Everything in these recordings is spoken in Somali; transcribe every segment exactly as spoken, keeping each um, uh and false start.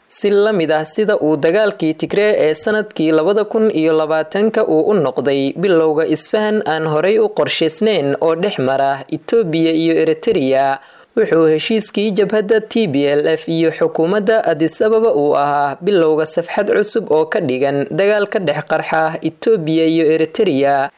Si la mid ah sida uu dagaalkii Tigree ee sanadkii labada kun iyo labaatanka uu u noqday bilowga isfahan aan horay u qorshaysnayn oo dhex mara Itoobiya iyo Eritrea, wuxuu heshiiskii jabhadda T B L F iyo xukuumadda Addis Ababa uu ahaa bilowga safxad cusub oo ka dhigan dagaal ka dhex qarxa Itoobiya iyo Eritrea.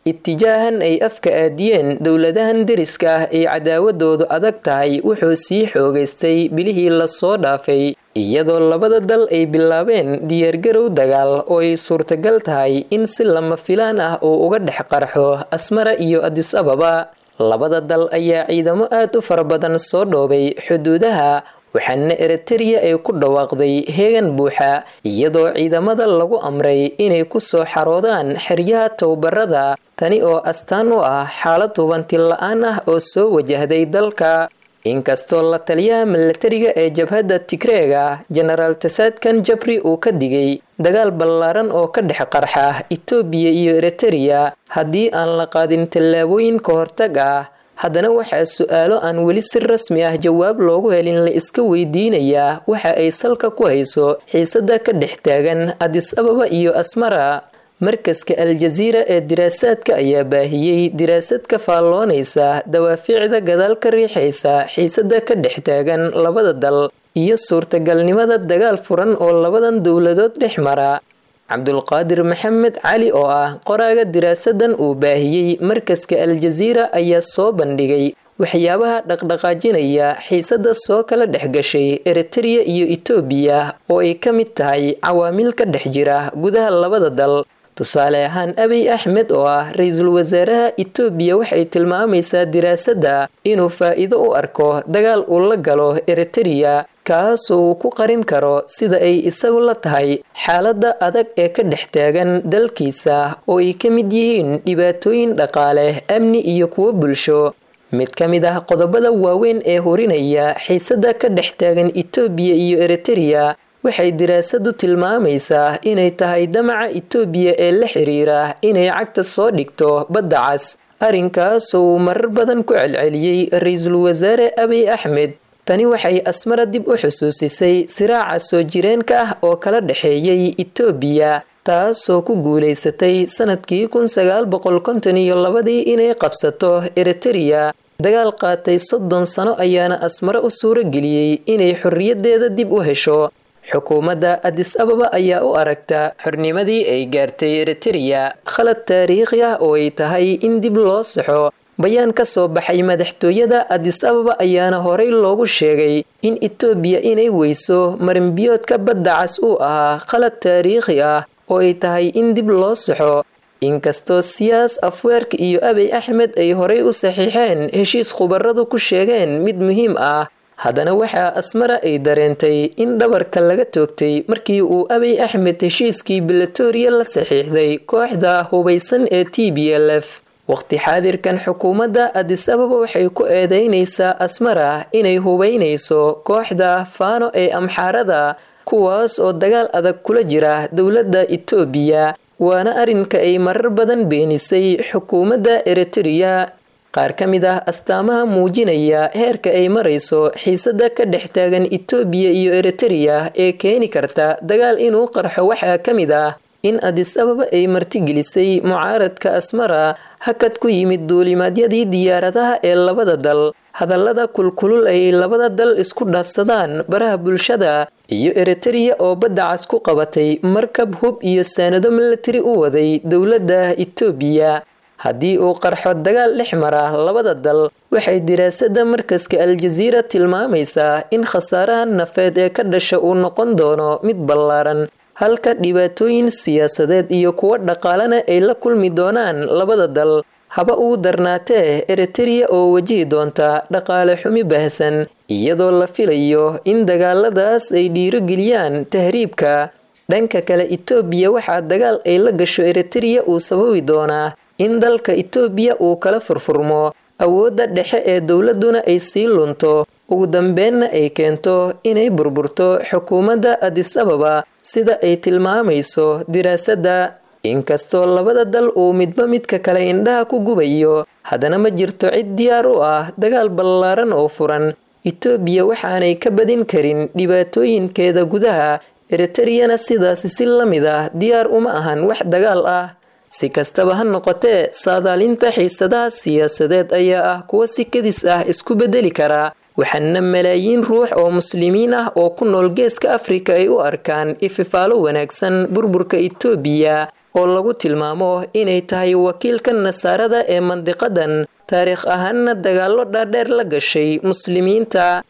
Itijaahan ay afka aadiyeen dowladahan deriska ah ee cadaawadoodu adag tahay wuxuu sii xoogaystay bilihii lasoo dhaafay, iyadoo labada dal ay bilaabeen diyaargarow dagaal oo ay suurtagal tahay in si lama filaan ah uu uga dhex qarxo Asmara iyo Addis Ababa. Labada dal ayaa ciidamo aad u fara badan soo dhoobay xuduudaha, waxaana Eritrea ay ku dhawaaqday heegan buuxa, iyadoo ciidamada lagu amray inay ku soo xaroodaan xeryaha tababarada, tani oo astaan u ah xaalad hubanti la-aan ah oo soo wajahday dalka. Inkastoo la taliyaha milatariga ee jabhadda Tigreega Jenaraal Tasaadkan Jabri uu ka digay dagaal ballaaran oo ka dhex qarxa Itoobiya iyo Eritrea haddii aan la qaadin tallaabooyin ka hortag ah, haddana waxaa su-aalo aan weli si rasmi ah jawaab loogu helin la iska weydiinayaa waxa ay salka ku hayso xiisadda ka dhex taagan Addis Ababa iyo Asmara. Markaska Al-Jaziira ee diraasaadka ayaa baahiyey diraasad ka faalloonaysa dawaaficda gadaal ka riixaysa xiisadda ka dhex taagan labada dal iyo suurtagalnimada dagaal furan oo labadan dowladood dhex mara. Cabdulqaadir Maxamed Cali oo ah qoraaga diraasadan uu baahiyey markaska Al-Jaziira ayaa soo bandhigay waxyaabaha dhaqdhaqaajinaya xiisadda soo kala dhex gashay Eritrea iyo Itoobiya oo ay ka mid tahay cawaamil ka dhex jira gudaha labada dal. Tusaale ahaan, Abiy Axmed oo ah ra-iisul wasaaraha Itoobiya waxay tilmaamaysaa diraasadda inuu faa'iido u arko dagaal uu la galo Eritrea, kaasoo uu ku qarin karo sida ay isagu la tahay xaaladda adag ee ka dhex taagan dalkiisa oo ay ka mid yihiin dhibaatooyin dhaqaale, amni iyo kuwo bulsho. Mid ka mid ah qodobada waaweyn ee hurinaya xiisadda ka dhex taagan Itoobiya iyo Eritrea waxay diraasadu tilmaamaysaa inay tahay damaca Itoobiya ee la xiriira inay cagta soo dhigto badda cas, arrinkaasoo uu marar badan ku celceliyey ra-iisul wasaare Abiy Axmed. Tani waxay Asmara dib u xusuusisay siraaca soo jireenka ah oo kala dhexeeyey Itoobiya, taasoo ku guulaysatay sanadkii kun sagaal boqol konton iyo labadii inay qabsato Eritrea. Dagaal qaatay soddon sano ayaana Asmara u suurageliyey inay xorriyaddeeda dib u hesho. Xukuumadda Addis Ababa ayaa u aragta xornimadii ay gaartay Eritrea khalad taariikhi ah oo ay tahay in dib loo saxo. Bayaan ka soo baxay madaxtooyada Addis Ababa ayaana horey loogu sheegay in Itoobiya inay weyso marinbiyoodka badda cas uu ahaa khalad taariikhi ah oo ay tahay in dib loo saxo. Inkastoo Siyaas Afweerk iyo Abiy Axmed ay horey u saxiixeen heshiis khubaradu ku sheegeen mid muhiim ah, haddana waxaa Asmara ay dareentay in dhabarka laga toogtay markii uu Abiy Axmed heshiiskii Bilatoria la saxiixday kooxda hubaysan ee T B L F. Waqti xaadirkan xukuumadda Addis Ababa waxay ku eedeynaysaa Asmara inay hubaynayso kooxda Faano ee Amxaarada, kuwaas oo dagaal adag kula jira dowladda Itoobiya, waana arrinka ay marar badan beenisay xukuumadda Eritrea. Qaar ka mid ah astaamaha muujinaya heerka ay marayso xiisadda ka dhex taagan Itoobiya iyo Eritrea ee keeni karta dagaal inuu qarxo waxaa ka mid ah in Addis Ababa ay martigelisay mucaaradka Asmara, hakad ku yimid duulimaadyadii diyaaradaha ee labada dal, hadallada kulkulul ay labada dal isku dhaafsadaan baraha bulshada, iyo Eritrea oo badda cas ku qabatay markab hub iyo saanado milatari u waday dowladda Itoobiya. Haddii uu qarxo dagaal dhex mara labada dal, waxay diraasadda markaska Al-Jaziira tilmaamaysaa in khasaaraha nafeed ee ka dhasha uu noqon doono mid ballaaran, halka dhibaatooyin siyaasadeed iyo kuwo dhaqaalena ay la kulmi doonaan labada dal. Haba ugu darnaatee Eritrea oo wajihi doonta dhaqaale xumi baahsan, iyadoo la filayo in dagaaladaas ay dhiirogeliyaan tahriibka. Dhanka kale, Itoobiya waxaa dagaal ay la gasho Eritrea uu sababi doonaa in dalka Itoobiya uu kala furfurmo, awoodda dhexe ee dowladduna ay sii lunto, ugu dambeenna ay keento inay burburto xukuumadda Addis Ababa, sida ay tilmaamayso diraasadda. Inkastoo labada dal uu midba midka kale indhaha ku gubayo, haddana ma jirto cid diyaar u ah dagaal ballaaran oo furan. Itoobiya waxaanay ka badin karin dhibaatooyinkeeda gudaha, Eritareyana sidaasi si la mid ah diyaar uma ahan wax dagaal ah. Si kastaba ha noqotee, saadaalinta xiisadaha siyaasadeed ayaa ah kuwo si kedis ah isku bedeli kara, waxaana malaayiin ruux oo muslimiin ah oo ku nool geeska Afrika ay u arkaan ififaalo wanaagsan burburka Itoobiya oo lagu tilmaamo inay tahay wakiilka nasaarada ee mandiqadan, taariikh ahaanna dagaallo dhaadheer la gashay muslimiinta.